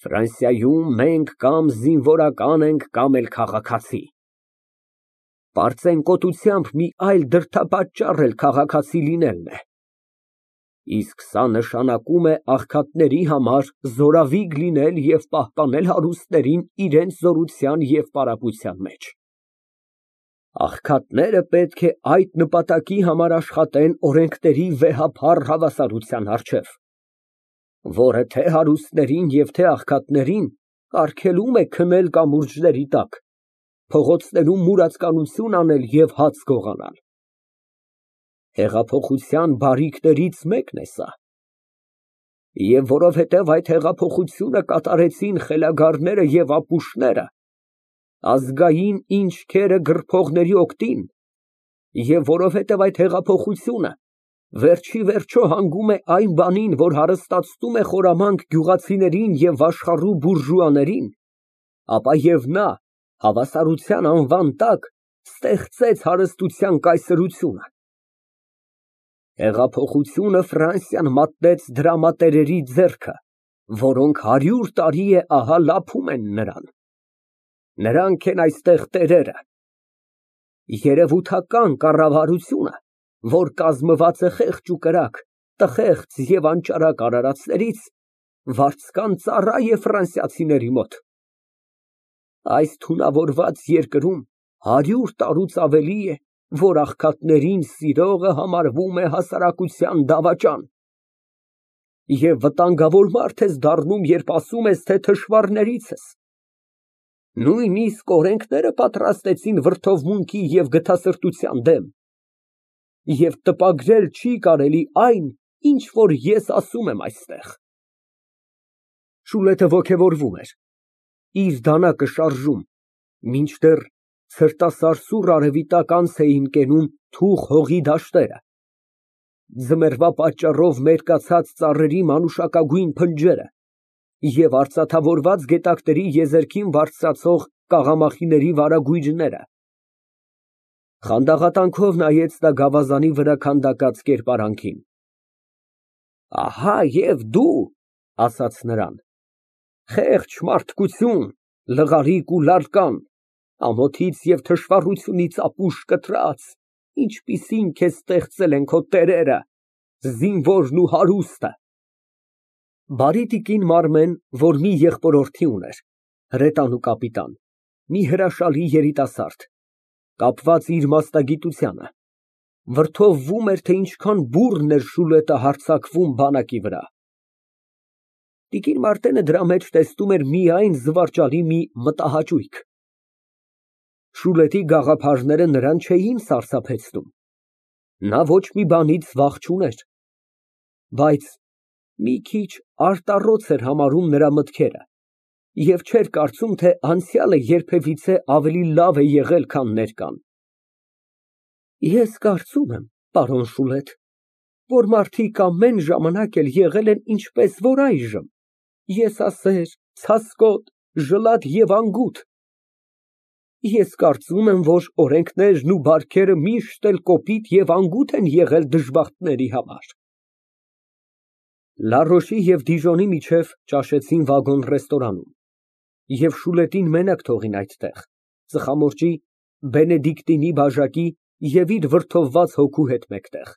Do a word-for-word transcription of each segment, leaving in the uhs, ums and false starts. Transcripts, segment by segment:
Ֆրանսիայում մենք կամ զինվորական ենք, կամ էլ քաղաքացի, պարծենկոտությամբ մի այլ դրդապատճառ էլ քաղաքացի լինելն է, իսկ սա նշանակում է աղքատների համար զորավիգ լինել և պահպանել հարուստներին իրենց զորության և պարապության մեջ։ Աղքատները պետք է այդ նպատակի համար աշխատեն օրենքների վեհափառ հավասարության առջև, որը թե հարուստներին և թե աղքատներին արգելում է քնել կամուրջների տակ, փողոցներում մուրացկանություն անել և հաց գողանալ։ Հեղափոխության բարիքներից մեկն է սա, և որովհետև այդ հեղափոխությունը կատարեցին խելագարները և ապուշները, ազգային ինչքերը գրփողների օգտին, և որովհետև այդ հեղափոխությունը վերջ ի վերջո հանգում է այն բանին, որ հարստացնում է խորամանկ գյուղացիներին և աշխառու բուրժուաներին, ապա և նա հավասարության անվան տակ ստեղծեց հարստության կայսրությունը։ Հեղափոխությունը Ֆրանսիան մատնեց դրամատերերի ձեռքը, որոնք հարյուր տարի է ահա լափում են նրան։ Նրանք են այստեղ տերերը։ Երևութական կառավարությունը, որ կազմված է խեղճ ու կրակ, տխեղց և անճարակ արարածներից, վարձկան ծառա է ֆրանսիացիների մոտ։ Այս թունավորված երկրում հարյուր տարուց ավելի է, որ աղքատներին սիրողը համարվում է հասարակության դավաճան, և վտանգավոր մարդ ես դառնում, երբ ասում ես, թե թշվառներից ես։ Նույնիսկ օրենքները պատրաստեցին վրդովմունքի և գթասրտության դեմ, և տպագրել չի կարելի այն, ինչ որ ես ասում եմ այստեղ։ (Շուլետը ոգևորվում էր, իր դանակը շարժում, մինչդեռ ցրտասարսուռ արևի տակ անց էին կենում թուխ հողի դաշտերը, ձմեռվա պատճառով մերկացած ծառերի մանուշակագույն փնջերը և արծաթավորված գետակների եզերքին բարձրացող կաղամախիների վարագույրները)։ Խանդաղատանքով նայեց նա գավազանի վրա քանդակած կերպարանքին։ Ահա և դու, ասաց նրան, խեղճ մարդկություն, լղարիկ ու լարկան, ամոթից և թշվառությունից ապուշ կտրած, ինչպիսին քեզ ստեղծել են քո տերերը, զինվորն ու հարուստը։ Բարի տիկին Մարմեն, որ մի եղբորորդի ուներ, հրետանու կապիտան, մի հրաշալի երիտասարդ, կապված իր մասնագիտությանը, վրդովվում էր, թե ինչքան բուռն էր Շուլետը հարձակվում բանակի վրա։ Տիկին Մարտենը դրա մեջ տեսնում էր միայն զվարճալի մի մտահաճույք։ Շուլետի գաղափարները նրան չէին սարսափեցնում, նա ոչ մի բանից վախ չուներ, բայց մի քիչ արտառոց էր համարում նրա մտքերը և չէր կարծում, թե անցյալը երբևիցե ավելի լավ է եղել, քան ներկան։ Ես կարծում եմ, պարոն Շուլետ, որ մարդիկ ամեն ժամանակ էլ եղել են ինչպես որ այժմ, եսասեր, ցասկոտ, ժլատ և անգութ։ Ես կարծում եմ, որ օրենքներն ու բարքերը միշտ էլ կոպիտ և անգութ են եղել դժբախտների համար։ Լարոշի և Դիժոնի միջև ճաշեցին վագոն֊ռեստորանում և Շուլետին մենակ թողին այդտեղ, ծխամորճի, բենեդիկտինի բաժակի և իր վրդովված հոգու հետ մեկտեղ։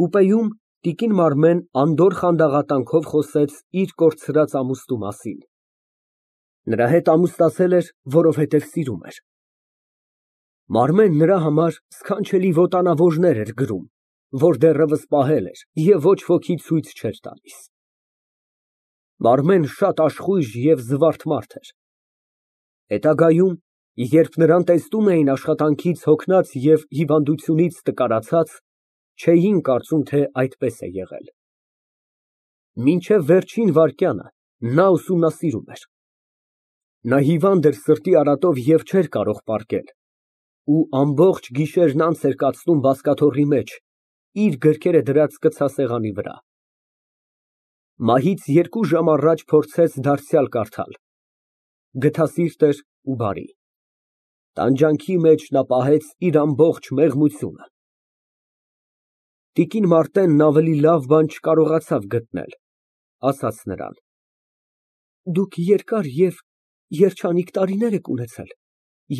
Կուպեում տիկին Մարմեն անդորր խանդաղատանքով խոսեց իր կորցրած ամուսնու մասին։ Նրա հետ ամուսնացել էր, որովհետև սիրում էր։ Մարմենն նրա համար սքանչելի ոտանավորներ էր գրում, որ դեռևս պահել էր և ոչ ոքի ցույց չէր տալիս։ Մարմեն շատ աշխույժ և զվարթ մարդ էր։ Հետագայում, երբ նրան տեսնում էին աշխատանքից հոգնած և հիվանդությունից տկարացած, չէին կարծում, թե այդպես է եղել։ Մինչև վերջին վայրկյանը նա ուսումնասիրում էր։ Նա հիվանդ էր սրտի արատով և չէր կարող պառկել, ու ամբողջ գիշերն անց էր կացնում բազկաթոռի մեջ, իր գրքերը դրած կցասեղանի վրա։ Մահից երկու ժամ առաջ փորձեց դարձյալ կարդալ։ Գթասիրտ էր ու բարի։ Տանջանքի մեջ նա պահեց իր ամբողջ մեղմությունը։ Տիկին Մարտենն ավելի լավ բան չկարողացավ գտնել, ասաց նրան. Դուք երկար և երջանիկ տարիներ եք ունեցել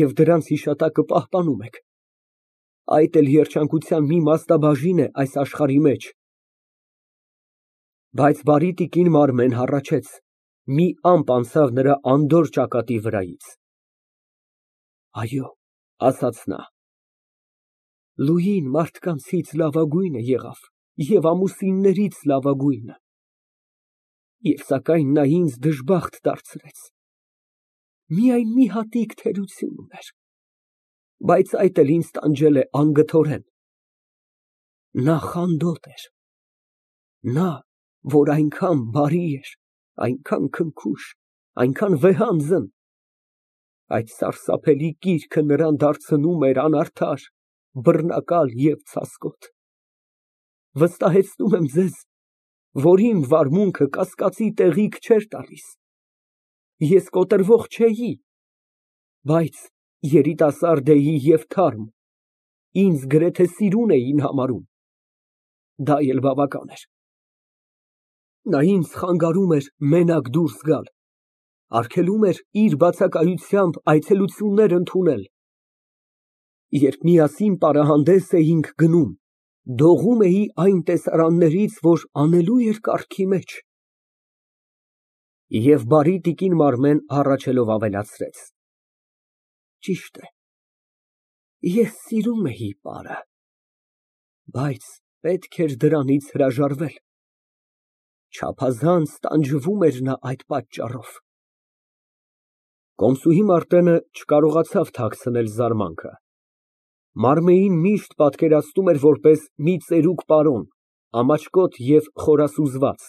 և դրանց հիշատակը պահպանում եք, այդ էլ երջանկության մի մասնաբաժին է այս աշխարհի մեջ։ Բայց բարի տիկին Մարմեն հառաչեց, մի ամպ անցավ նրա անդորր ճակատի վրայից։ Այո, ասաց նա, Լուին մարդկանցից լավագույնը եղավ և ամուսիններից լավագույնը, և սակայն նա ինձ դժբախտ դարձրեց, միայն մի հատիկ թերություն ուներ, բայց այդ էլ ինձ տանջել է անգթորեն։ Նա խանդոտ էր, նա, որ այնքան բարի էր, այնքան քնքուշ, այնքան վեհանձն, այդ սարսափելի կիրքը նրան դարձնում էր անարդար, բռնակալ և ցասկոտ։ Վստահեցնում եմ ձեզ, որ իմ վարմունքը կասկածի տեղիք չէր տալիս, ես կոտրվող չէի, բայց երիտասարդ էի և թարմ, ինձ գրեթե սիրուն էին համարում, դա էլ բավական էր։ Նա ինձ խանգարում էր մենակ դուրս գալ, արգելում էր իր բացակայությամբ այցելություններ ընդունել։ Երբ միասին պարահանդես էինք գնում, դողում էի այն տեսարաններից, որ անելու էր կառքի մեջ։ Եվ բարի տիկին Մարմեն հառաչելով ավելացրեց. Ճիշտ է, ես սիրում էի պարը, բայց պետք էր դրանից հրաժարվել, չափազանց տանջվում էր նա այդ պատճառով։ Կոմսուհի Մարտենը չկարողացավ թաքցնել զարմանքը։ Մարմեին միշտ պատկերացնում էր որպես մի ծերուկ պարոն, ամաչկոտ և խորասուզված,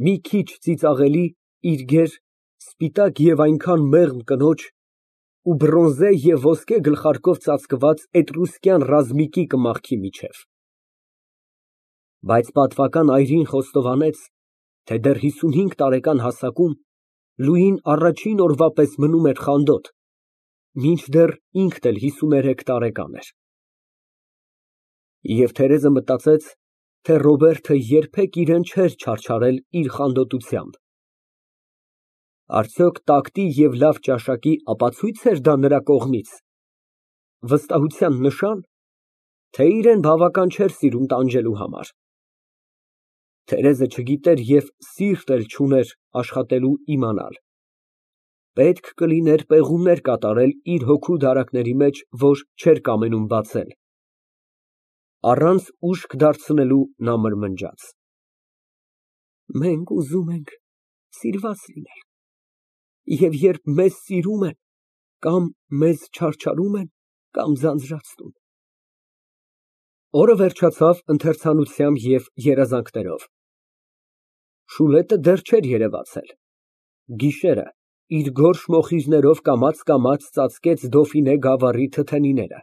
մի քիչ ծիծաղելի, իր գեր, սպիտակ և այնքան մեղմ կնոջ ու բրոնզե և ոսկե գլխարկով ծածկված էտրուսկյան ռազմիկի կմախքի միջև։ Բայց պատվական այրին խոստովանեց, թե դեռ հիսունհինգ տարեկան հասակում Լուին առաջին օրվա պես մնում էր խանդոտ, մինչդեռ ինքն էլ հիսուներեք տարեկան էր։ Եվ Թերեզը մտածեց, թե Ռոբերտը երբեք իրան չէր չարչարել իր խանդոտությամբ։ Արդյոք տակտի և լավ ճաշակի ապացույց էր դա նրա կողմից, վստահության նշա՞ն, թե իրան բավական չէր սիրում տանջելու համար։ Թերեզը չգիտեր և սիրտ էլ չուներ աշխատելու իմանալ։ Պետք կլիներ պեղումներ կատարել իր հոգու դարակների մեջ, որ չէր կամենում բացել։ Առանց ուշք դարձնելու նա մրմնջաց. Մենք ուզում ենք սիրված լինել, և երբ մեզ սիրում են, կամ մեզ չարչարում են, կամ ձանձրացնում։ Օրը վերջացավ ընթերցանությամբ և երազանքներով։ Շուլետը դեռ չէր երևացել։ Գիշերը իր գորշ մոխիրներով կամաց֊կամաց ծածկեց Դոֆինե գավառի թթենիները։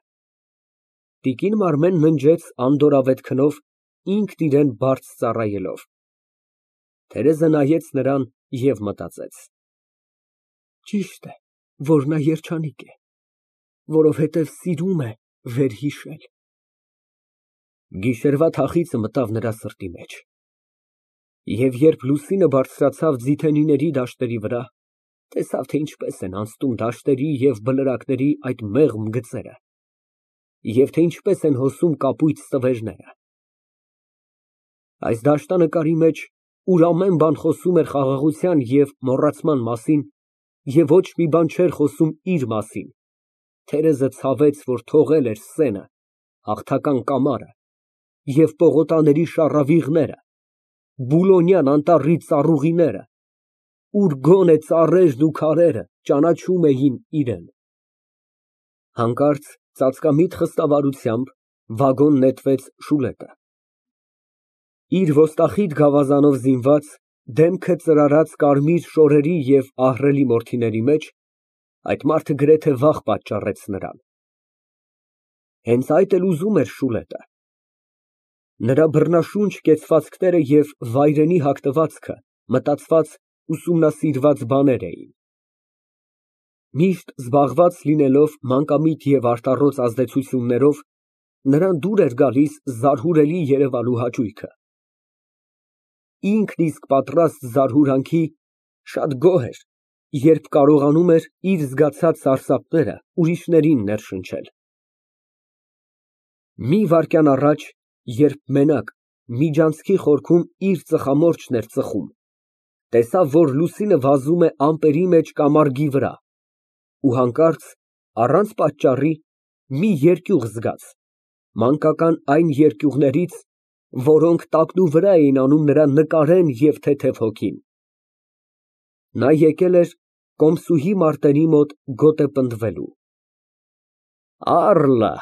Տիկին Մարմեն ննջեց անդորրավետ քնով, ինքն իրան բարդ ծառայելով։ Թերեզը նայեց նրան և մտածեց. Ճիշտ է, որ նա երջանիկ է, որովհետև սիրում է վերհիշել։ Գիշերվա թախիծը մտավ նրա սրտի մեջ։ Եվ երբ լուսինը բարձրացավ ձիթենիների դաշտերի վրա, տեսավ, թե ինչպես են անցնում դաշտերի և բլրակների այդ մեղմ գծերը, և թե ինչպես են հոսում կապույտ ստվերները։ Այս դաշտանկարի մեջ, ուր ամեն բան խոսում էր խաղաղության և մոռացման մասին, և ոչ մի բան չէր խոսում իր մասին, Թերեզը ցավեց, որ թողել էր սենը, հաղթական կամարը և պողոտաների շառավիղները, Բուլոնյան անտառի ծառուղիները, ուր գոնե ծառերն ու քարերը ճանաչում էին իրան։ Հանկարծ ծածկամիտ խստավարությամբ վագոն նետվեց Շուլետը։ Իր ոստախիտ գավազանով զինված, դեմքը ծրարած կարմիր շորերի և ահռելի մորթիների մեջ, այդ մարդը գրեթե վախ պատճառեց նրան։ Հենց այդ էլ ուզում էր Շուլետը։ Նրա բռնաշունչ կեցվածքները և վայրենի հագնվածքը մտածված, ուսումնասիրված բաներ էին։ Միշտ զբաղված լինելով մանկամիտ և արտառոց ազդեցություններով, նրան դուր էր գալիս զարհուրելի երևալու հաճույքը։ Ինքն իսկ պատրաստ զարհուրանքի, Շատ գոհ էր, երբ կարողանում էր իր զգացած սարսափները ուրիշներին ներշնչել։ Մի վայրկյան առաջ, երբ մենակ միջանցքի խորքում իր ծխամորճն էր ծխում, տեսավ, որ լուսինը վազում է ամպերի մեջ կամարգի վրա, ու հանկարծ, առանց պատճառի, մի երկյուղ զգաց, մանկական այն երկյուղներից, որոնք տակնուվրա էին անում նրա նկարեն և թեթև հոգին։ Նա եկել էր կոմսուհի Մարտենի մոտ գոտե պնդվելու։ «Առլը»,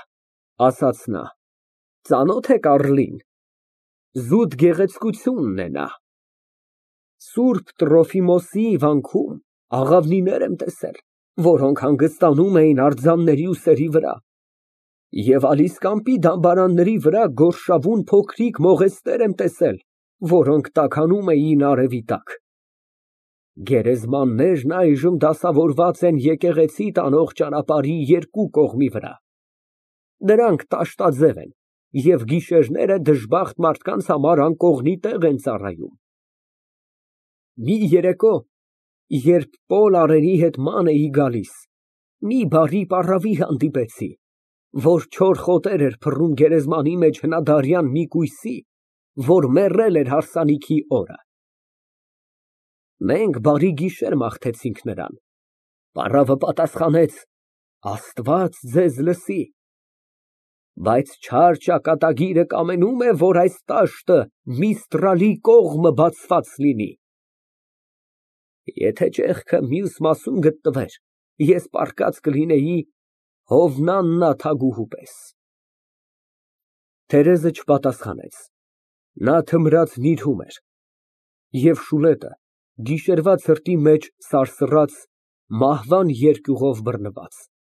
ասաց նա, «ծանո՞թ եք Առլին, զուտ գեղեցկությունն է նա։ Սուրբ Տրոֆիմոսի վանքում աղավնիներ եմ տեսել, որոնք հանգստանում էին արձանների ուսերի վրա, և Ալիսկամպի դամբարանների վրա գորշավուն փոքրիկ մողեստներ եմ տեսել, որոնք տաքանում էին արևի տակ։ Գերեզմաններն այժմ դասավորված են եկեղեցի տանող ճանապարհի երկու կողմի վրա, դրանք տաշտաձև են և գիշերները դժբախտ մարդկանց համար անկողնի տեղ են ծառայում։ Մի երեկո, երբ Պոլ Արենի հետ ման էի գալիս, մի բարի պառավի հանդիպեցի, որ չոր խոտեր էր փռում գերեզմանի մեջ հնադարյան մի կույսի, որ մեռել էր հարսանիքի օրը։ Մենք բարի գիշեր մաղթեցինք նրան։ Պառավը պատասխանեց. «Աստված ձեզ լսի, բայց չար ճակատագիրը կամենում է, որ այս տաշտը Միստռալի կողմը բացված լինի։ Եթե ճեղքը մյուս մասում գտնվեր, ես պառկած կլինեի Հովնաննա թագուհու պես»։ Թերեզը չպատասխանեց, նա թմրած նիրհում էր, և Շուլետը գիշերվա ցրտի մեջ սարսռաց, մահվան երկյուղով բռնված։